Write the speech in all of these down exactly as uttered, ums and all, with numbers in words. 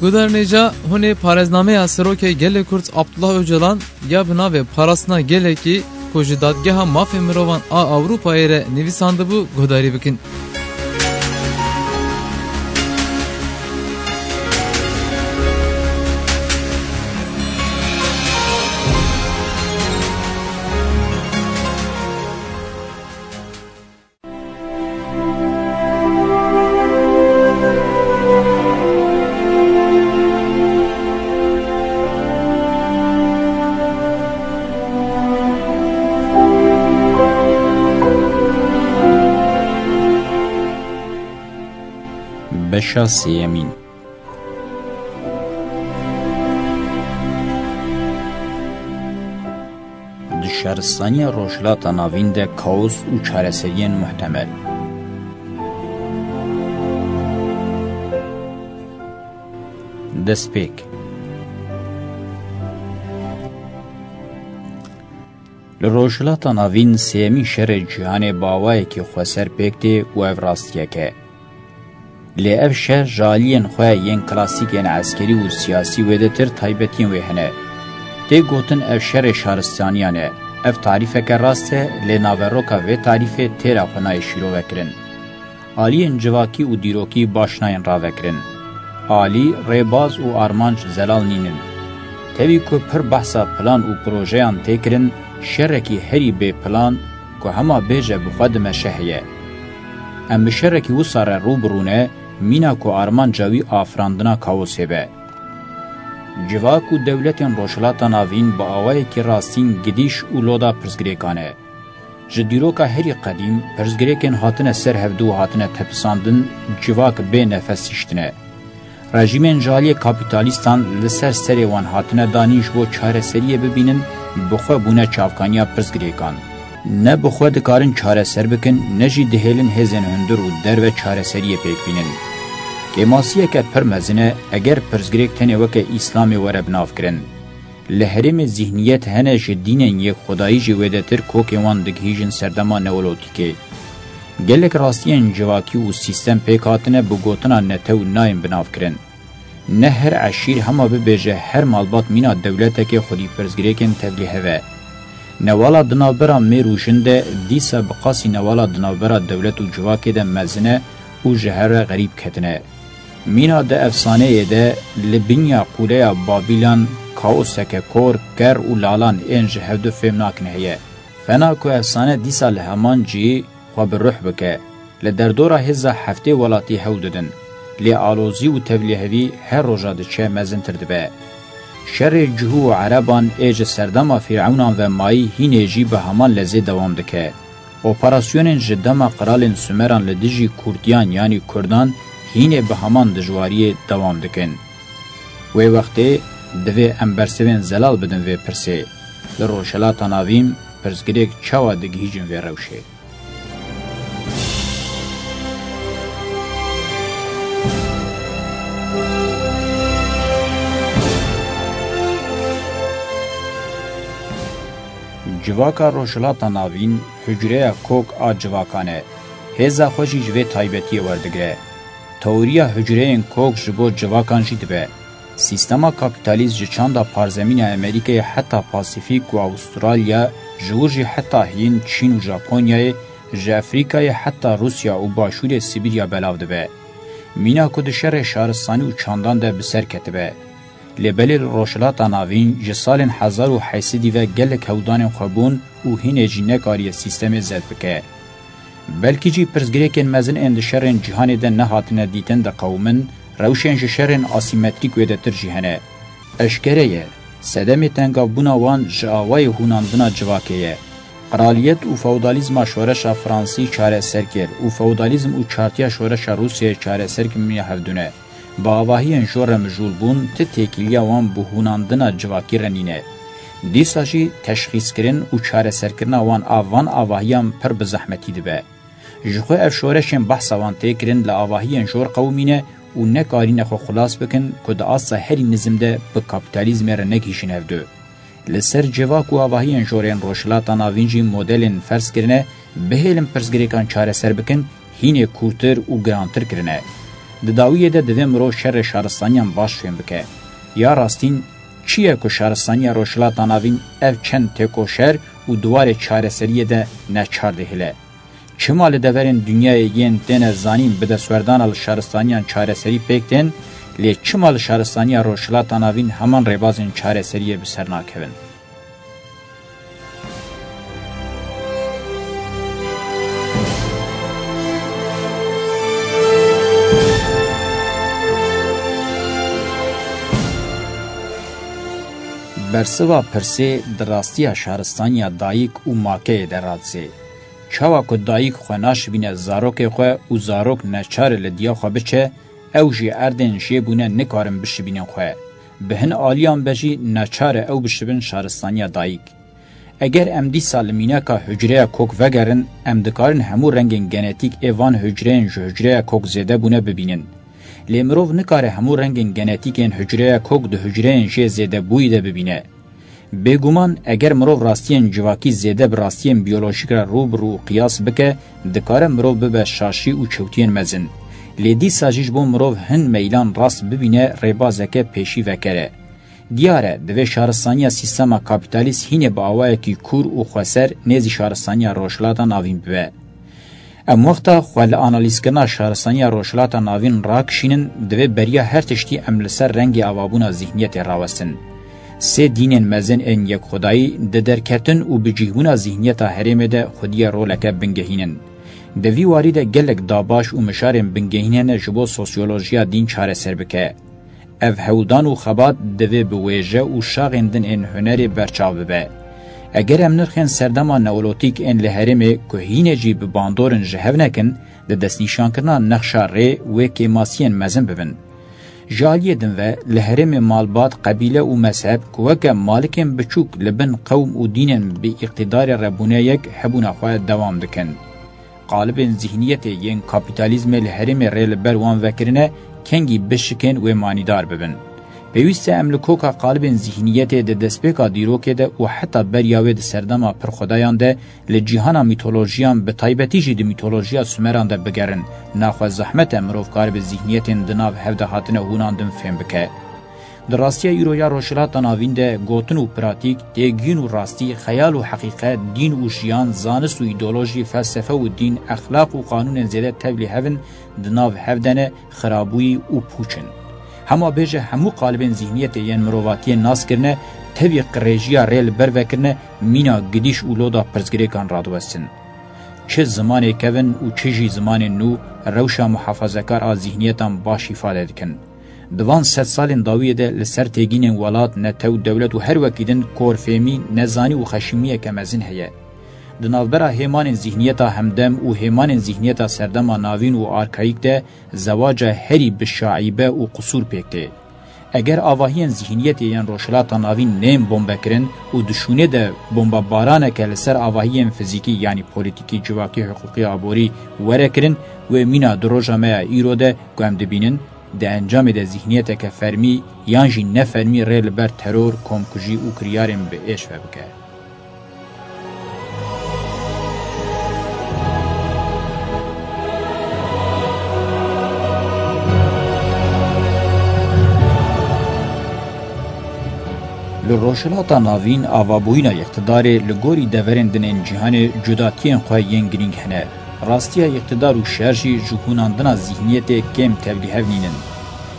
Guhdarên hêja, hûn ê parêznameya Serokê Gelê Kurd Abdullah Ocalan ya bi navê Parastina Gelekî ku ji Dadgeha Mafê Mirovan a Ewropayê re nivîsandibû guhdarî bikin. Beşa sêyemîn. Di şaristaniya Rojhilata Navîn de kaos û çareseriyên muhtemel. Destpêk. Li Rojhilata Navîn sêyemîn şerê cîhanê bi awayekî xweser pêk tê û ev rastiyek e. Lê ev şer ji aliyên xwe yên klasîk yên eskerî û siyasî wêdetir taybetiyên wê hene. Tê gotin ev şerê şaristaniyan e. Ev tarîfeke rast e, lê naveroka vê tarîfê têra xwe nayê şîrove kirin. Aliyên civakî û dîrokî baş nayên ravekirin. Alî, rêbaz û armanc zelal nînin. Tevî ku pir behsa plan û projeyan tê kirin, şerekî herî bê plan ku hema bêje bi xwe dimeşe heye. Em bi şerekî wisa re rû bi rû ne, mîna ku armanca wî afirandina kaosê be. Civak û dewletên Rojhilata Navîn bi awayekî rastîn gidîş û loda pirsgirêkan e. Ji dîroka herî qedîm, pirsgirêkên hatine ser hevdû û hatine tepisandin, civak bê nefes hiştine. Rejîmên ji aliyê kapîtalîstan li ser serê wan hatine danîn ji bo çareseriyê bibînin, bi xwe bûne çavkaniya pirsgirêkan. Ne bi xwe dikarin çareser bikin, ne jî dihêlin hêzên hundir û derve çareseriyê pêk bînin. Kêmasiyeke pir mezin e, eger pirsgirêk tenê weke Îslamê were binavkirin. Li herêmê zîhniyet hene ji dînên yekxwedayî jî wêdetir kokên wan digihîjin serdema neolotîkê. Gelek rastiyên civakî û sîstem pêk hatine bi gotina netew nayên binavkirin. Ne her eşîr hema bibêje her malbat mîna dewletekê xwedî pirsgirêkên tevlîhev e. Newala di navbera mêr û jin de dîsa bi qasî newala di navbera dewlet û civakê de mezin e û ji hev re xerîb ketine. Mîna di efsaneyê de li binya qûleya Babîlan kaoseke kor, ker û lalan ên ji hevdu fêm nakin heye. Fena ku efsane dîsa li heman cihî xwe bi ruh bike. Li derdora hêza heftê welatî hewl didin. Lê alozî û tevlîhevî her roja diçe mezintir dibe. Şerê cihû û ereban ê ji serdema Fîrewnan ve mayî hînê jî bi heman lezê dewam dike. Operasyonên ji dema qiralên Sumeran li dijî Kurdiyan yanî Kurdan hînê bi heman dijwariyê dewam dikin. Wê wextê divê em bersivên zelal bidin vê pirsê. Li Rojhilata Navîn pirsgirêk çawa digihîjin vê rewşê? Civaka Rojhilata Navîn hucreya kok a civakan e. Hêza xwe jî ji vê taybetiyê werdigire. Teoriya hucreyên kok ji bo civakan jî dibe. Sîstema kapîtalîst ji çanda parzemîna Amerîkayê heta Pasîfîk û Awistralya, ji wir jî heta Hîn, Çîn û Japonyayê, ji Efrîkayê heta Rûsya û Başûrê Sibîrya belav dibe. Mîna ku di şerê şaristanî û çandan de bi ser ketibe. Lê belê li Rojhilata Navîn ji salên hezar û heyt sedî ve gelek hewldanên xwe bûn û hînê jî nekariye sîstemê zed bike. Belkî jî pirsgirêkên mezin ên di şerên cîhanê de nehatine dîtin diqewimin, rewşên ji şerên asîmetrîk wêdetir jî hene. Eşkere ye, sedemê tengavbûna wan ji awayê hûnandina civakê ye. Qraliyet û feodalîzma şoreşa Fransî çareser kir û feodalîzm û çartiya şoreşa Rûsyayê çareser kirin ya hevdû ne. Bi avahiyên jor re mijûl bûn, ti têkiliya wan bi hûnandina civakî re nîne. Dîsa jî teşxîskirin û çareserkirina wan a van avahiyan pir bi zehmetî dibe. Ji xwe ev şoreşên behsa wan tê kirin li avahiyên jor qewimîne û nekarîne xwe xilas bikin ku di asta herî nizim de bi kapîtalîzmê re negihîjin hevdu. Li ser civak û avahiyên jorên Rojhilata Navîn jî modelên ferz kirine, bihêlin pirsgirêkan çareser bikin, hînê kûrtir û girantir kirine. Di dawiyê de divê mirov şerê şaristaniyan baş fêm bike. Ya rastîn, çi ye ku şaristaniya Rojhilata Navîn ev çend têkoşer û di warê çareseriyê de neçar dihêle? Çima li deverên dinyayê yên têne zanîn bi destwerdana li şaristaniyan çareserî pêk tên, lê çima li şaristaniya Rojhilata Navîn heman rêbazên çareseriyê bi ser nakevin? Bersiva pirsê di rastiya şaristaniya dayik û makeyê de radizê. Çawa ku dayik xwe naşibîne zarokê xwe û zarok neçar e li diya xwe biçe, ew jî erdên jê bûne nikarin bişibînin xwe. Bi hin aliyan be jî neçar e ew bişibin şaristaniya dayik. Eger em dîsa li mînaka hucreya kok vegerin, em dikarin hemû rengên genetîk ê van hucreyên ji hucreya kok zêde bûne bibînin. Lê mirov nikare hemû rengên genetîk ên hucreya kok di hucreyên jê zêdebûyî de bibîne. Bêguman, eger mirov rastiyên civakî zêde bi rastiyên biyolojîk re rû bi rû qiyas bike, dikare mirov bibe şaşî û çewtiyên mezin. Lê dîsa jî ji bo mirov hin meylan rast bibîne, rêbazeke pêşî veker e. Diyar e, divê şaristaniya sîstema kapîtalîst hînê bi awayekî kûr û xweser nêzî şaristaniya Rojhilata Navîn bibe. Em wexta xwe li analîzkirina şaristaniya Rojhilata Navîn rakişînin, divê beriya her tiştî em li ser rengê avabûna zîhniyetê rawestin. Sê dînên mezin ên yekxwedayî di derketin û bicihbûna zîhniyeta herêmê de xwediyê roleke bingehîn in. Di vî warî de gelek dabaş û mijarên bingehîn hene ji bo sosyolojiya dîn çareser bike. Ev hewldan û xebat divê bi wêje û şaxên din ên hunerê berçav bibe. Eger em nirxên serdema neolotîk ên li herêmê ku hînê jî bi bandor in ji hev nekin, di destnîşankirina nexşa rê wê kêmasiyên mezin bibin. Ji aliyê din ve li herêmê malbat, qebîle û mezheb ku weke malikên biçûk li bin qewm û dînên bi îqtîdarê re bûne yek, hebûna xwe dewam dikin. Qalibên zîhniyetê yên kapîtalîzmê li herêmê rê li ber wan vekirine, kengî bişikên wê manîdar bibin. Pêwîst e em li koka qalibên zîhniyetê di destpêka dîrokê de û heta beriya wê di serdema pir xwedayan de li cîhana mîtolojiyan, bi taybetî jî di mîtolojiya Sumeran de bigerin. Naxwe zehmet e mirov karibe zîhniyetên di nav hev de hatine hûnandin fêm bike. Di rastiya îro ya Rojhilata Navîn de gotin û pratîk, têgihîn û rastî, xeyal û heqîqet, dîn û jiyan, zanist û îdeolojî, felsefe û dîn, exlaq û qanûnên zêde tevlî hev in, di nav hev de ne, xirabûyî û pûç in. Hema bêje hemû qalibên zîhniyetê yên mirovatiyê nas kirine, tevî qirêjiya rê li ber vekirine, mîna gidîş û loda pirsgirêkan radiwestin. Çi zimanê kevin û çi jî zimanên nû rewşa muhafazekar a zîhniyetan baş îfade dikin. Di van sed salên dawiyê de li ser têgînên welat, netew, dewlet û her wekî din korfêmî, nezanî û xeşîmiyeke mezin heye. Di navbera hêmanên zîhniyeta hemdem û hêmanên zîhniyeta serdema navîn û arkayîk de zewaca herî bi şaîbe û qisûr pêk tê. Eger avahiyên zîhniyetê yên Rojhilata Navîn nên bombekirin û di şûnê de bombebaraneke li ser avahiyên fizîkî, yanî polîtîkî, civakî, hiqûqî, aborî were kirin, wê mîna di roja me ya îro de ku em dibînin, di encamê de zîhniyeteke fermî yan jî nefermî rê li ber teror, komkujî û kiryarên bi êş ve bike. Li Rojhilata Navîn avabûyîna îqtidarê li gorî deverên din ên cîhanê cudatiyên xwe yên girîng hene. Rastiya îqtidar û şer jî ji hûnandina zîhniyetê kêm tevlîhev nînin.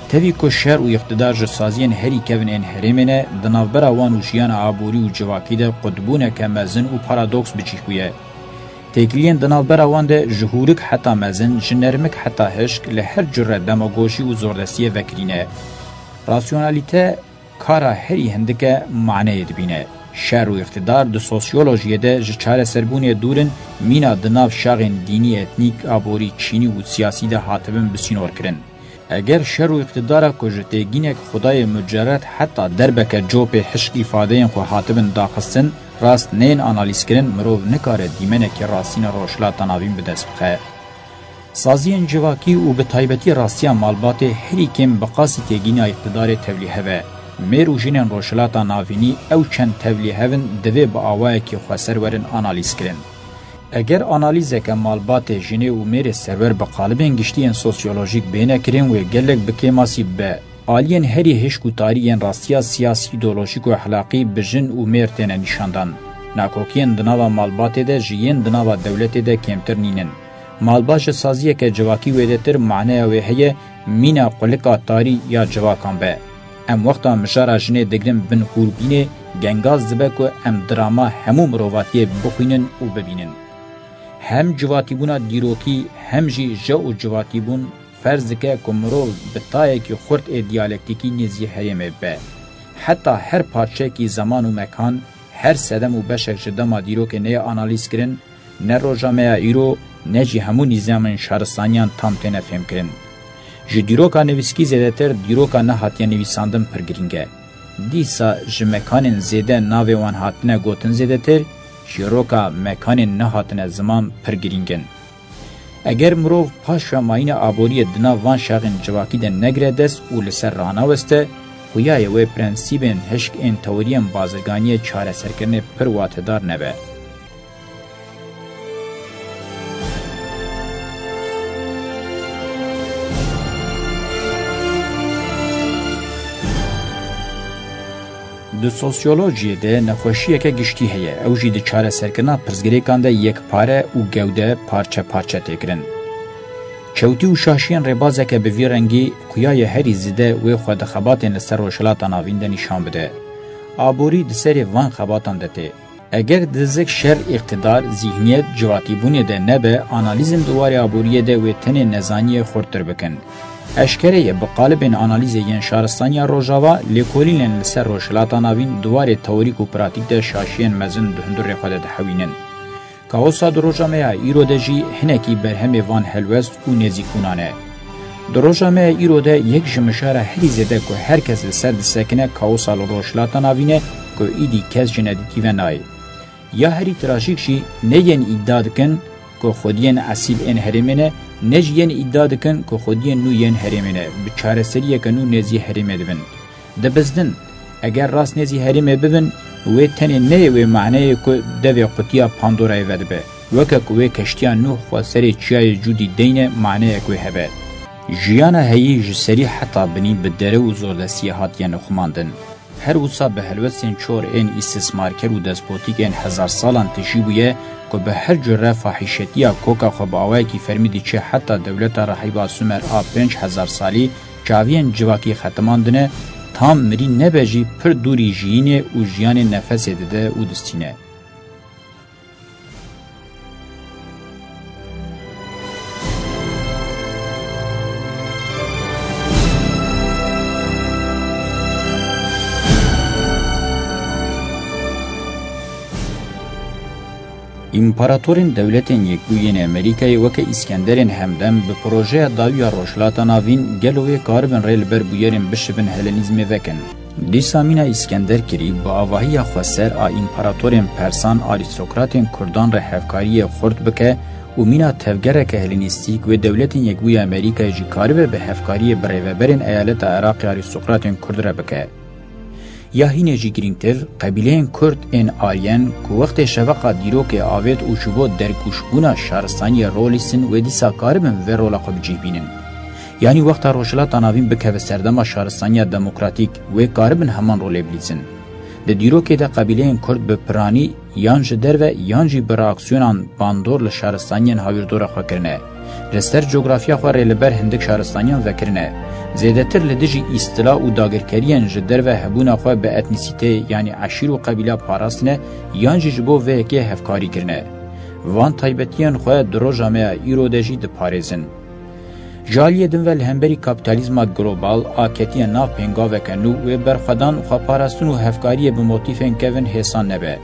Tevî ku şer û îqtidar ji saziyên herî kevin ên herêmê ne, di navbera wan û jiyana aborî û civakî de qutbûneke mezin û paradoks bi cih bûye. Têkiliyên di navbera wan de ji hûrik heta mezin, ji nermik heta hişk, li her cure demagojî û zordestiyê vekirî ne. Rasyonalîte kara herî hindike maneyê dibîne. Şer û îqtidar di sosyolojiyê de ji çareserbûnê dûr in, mîna di nav şaxên dînî, etnîk, aborî, çînî û siyasî de hatibin bisînorkirin. Eger şer û îqtidara ku ji têgînek xwedayê mucerred heta derbeke copê hişk îfadeyên xwe hatibin daxistin, rast nên analîzkirin, mirov nikare dîmenekî rastîna Rojhilata Navîn bi dest bixe. Saziyên civakî û bi taybetî rastiya malbatê herî kêm bi qasî têgîna îqtidarê tevlîhev e. Mêr û jinên Rojhilata Navînî ew çend tevlîhev in, divê bi awayekî xweser werin analîzkirin. Eger analîzeke malbatê jinê û mêrê serwer bi qalibên giştî yên sosyolojîk bêne kirin, wê gelek bi kêmasî bibe. Aliyên herî hişk û tarî yên rastiya siyasî, îdeolojîk û exlaqî bi jin û mêr têne nîşandan. Nakokiyên di nava malbatê de ji yên di nava dewletê de kêmtir nînin. Malbat ji saziyeke civakî wêdetir maneya wê heye, mîna qulika tarî ya civakan be. Em wexta mijara jinê digirin bin hûrbînê, gengaz dibe ku em drama hemû mirovatiyê bixwînin û bibînin. Hem civatîbûna dîrokî, hem jî je û civatîbûn ferz dike ku mirov bi tayekî xurt ê diyalektîkî nêzî herêmê bibe. Heta her parçeyekî zeman û mekan, her sedem û beşek ji dema dîrokê neyê analîzkirin, ne roja me ya îro, ne jî hemû nîzamên şaristaniyan tam têne fêmkirin. Ji dîroka nivîskî zêdetir dîroka nehatiye nivîsandin pir girîng e. Dîsa ji mekanên zêde navê wan hatine gotin zêdetir, çîroka mekanên nehatine ziman pir girîng in. Eger mirov paşvemayîna aboriyê di nav van şaxên civakî de negire dest û li ser ranaweste, xuya ye wê prensîbên hişk ên teoriyên bazirganiyê çareserkirinê pir watedar nebe. Di sosyolojiyê de nexweşiyeke giştî heye, ew jî di çareserkirina pirsgirêkan de yekpare û gewde parçe parçe tê kirin. Çewtî û şaşiyên rêbazeke bi vî rengî xuya ye herî zêde wê xwe di xebatên li ser Rojhilata Navîn de nîşan bide. Aborî di serê van xebatan de tê. Eger dizik şer, îqtidar, zîhniyet, civatîbûnê de nebe, analîzên di warê aboriyê de wê tenê nezaniyê xurttir bikin. Eşkere ye, bi qalibên analîzê yên şaristaniya Rojava, lêkolînên li ser Rojhilata Navîn di warê teorîk û pratîk de şaşiyên mezin di hundirê xwe de dihewînin. Kaosa di roja me ya îro de jî hinekî berhemê van helwest û nêzîkbûnan e. Di roja me ya îro de yek ji mijara herî zêde ku her kes li ser disekine kaosa li Rojhilata Navîn e ku îdî kes ji nedîtî ve nayê. Ya herî trajîk jî ne yên îdia dikin ku xwediyên esîl ên herêmê ne, ne jî yên îdia dikin ku xwediyên nû yên herêmê ne, bi çareseriyeke nû nêzî herêmê dibin. Dibizdin, eger rast nêzî herêmê bibin, wê tenê neyê wê maneyê ku devê qutiya Pandorayê vedibe. Weke ku wê keştiya Nûh xwe serê çiyayê Cûdî deyne, maneyek wê hebe. Jiyana heyî ji serî heta binî bi dere û zordestiyê hatiye nixumandin. Her wisa bi helwestên çor ên îstismarker û despotîk ên hezar salan tijî bûye ku bi her cure fahîşetiya koka xwe bi awayekî fermî diçe heta dewleta rehîba Sumer a pênc hezar salî, çaviyên civakî xetimandine, tam mirî nebe jî pir dûrî jiyînê û jiyanê nefesê dide û distîne. Împaratorên Dewletên Yekbûyî yên Amerîkayê weke Îskenderên Hemdem bi projeya dawî ya Rojhilata Navîn gelo wê karibin rê li ber bûyerên bişibin Helenîzmê vekin. Dîsa mîna Îskender kirî bi avahiya xweser a împaratorên Persan, arîstokratên Kurdan re hevkariyê xurt bike û mîna tevgereke Helenîstîk wê Dewletên Yekbûyî ya Amerîkayê jî karibe bi hevkariyê bi rêveberên eyaleta Iraqê arîstokratên Kurd re bike. Ya hînê jî girîngtir, qebîleyên Kurd ên Aryen ku wextê şeveqa dîrokê avêt û ji bo dergûşbûna şaristaniyê rol lîstin, wê dîsa karibin vê rola xwe bi cih bînin. Yanî wexta Rojhilata Navîn bikeve serdema şaristaniya demokratîk, wê karibin heman rolê bilîzin. Di dîrokê de qebîleyên Kurd bi piranî yan ji derve yan jî bi reaksiyonan bandor li şaristaniyên hawîrdora xwe kirine. Li ser cografya xwe rê li ber hindik şaristaniyan vekirine. Zêdetir li dijî îstila û dagirkeriyên ji derve hebûna xwe bi etnîsîteyê, yanî eşîr û qebîla parastine yan jî ji bo vê yekê hevkarî kirine. Van taybetiyên xwe di roja me ya îro de jî diparêzin. Ji aliyê din ve li hemberî kapîtalîzma global a ketiye nav pêngaveke nû, wê berxwedan, xweparastin û hevkariyê bi motîfên kevin hêsan nebe.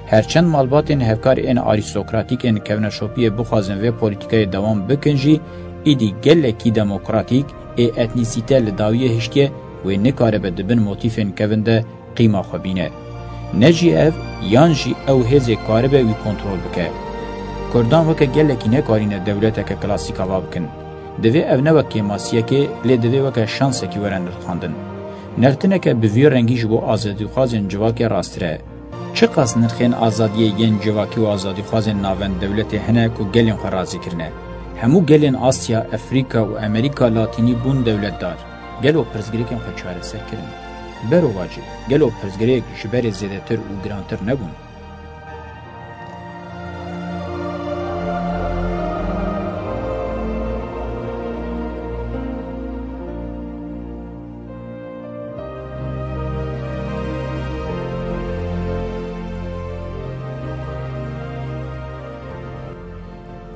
Her çend malbatên hevkar ên arîstokratîk ên kevneşopiyê bixwazin vê polîtîkayê dewam bikin jî, îdî gelekî demokratîk ê etnîsîte li dawiyê hiştiye, wê nikaribe di bin motîfên kevin de qîma xwe bîne. Ne jî ev, yan jî ew hêzê karibe wî kontrol bike. Kurdan weke gelekî nekarîne dewleteke klasîk ava bikin. Divê ev ne wek kêmasiyekê, lê divê weke şansekî were nirxandin. Nirxtineke bi vî rengî ji bo azadîxwazên civakê rasttir e. Çiqas nirxên azadiyê yên civakî û azadîxwazên navend dewletê hene ku gelên xwe razî kirine? Hemû gelên Asya, Efrîka û Amerîka Latînî bûn dewletdar. Gelo pirsgirêkên xwe çareser kirin? Berovajî, gelo pirsgirêk ji berê zêdetir û girantir nebûn?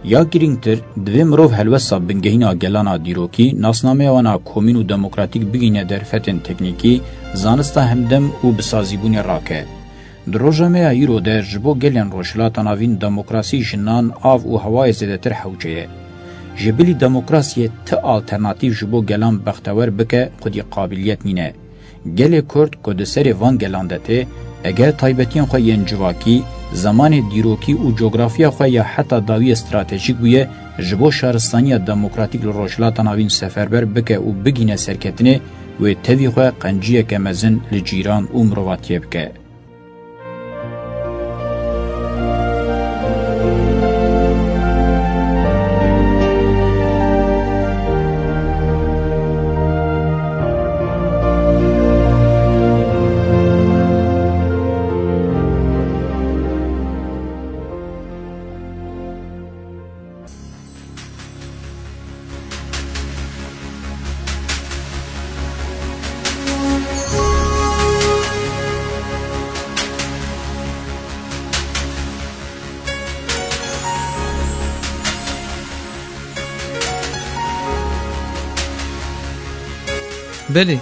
Ya girîngtir, divê mirov helwesta bingehîna gelana dîrokî, nasnameya wan a komîn û demokratîk bigihîne derfetên teknîkî, zanista hemdem û bi sazîbûnê rake. Di roja me ya îro de ji bo gelên Rojhilata Navîn demokrasî, jinan, av û hewayê zêdetir hewce ye. Ji bilî demokrasiyê ti alternatîf ji bo gelan bextewer bike xwedî qabiliyet nîne. Gelê Kurd ku di serê van gelan de tê, eger taybetiyên xwe yên civakî, zemanê dîrokî û cografiya xwe ya heta dawiyê stratejîk bûye, ji bo şaristaniya demokratîk li Rojhilata Navîn seferber bike û bigihîne serketinê, wê tevî xwe qenciyeke mezin li cîran û mirovatiyê bike. Belê,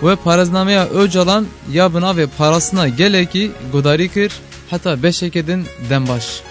we parêznameya Ocalan ya bi navê Parastina Gelekî guhdarî kir, heta beşeke din dem baş.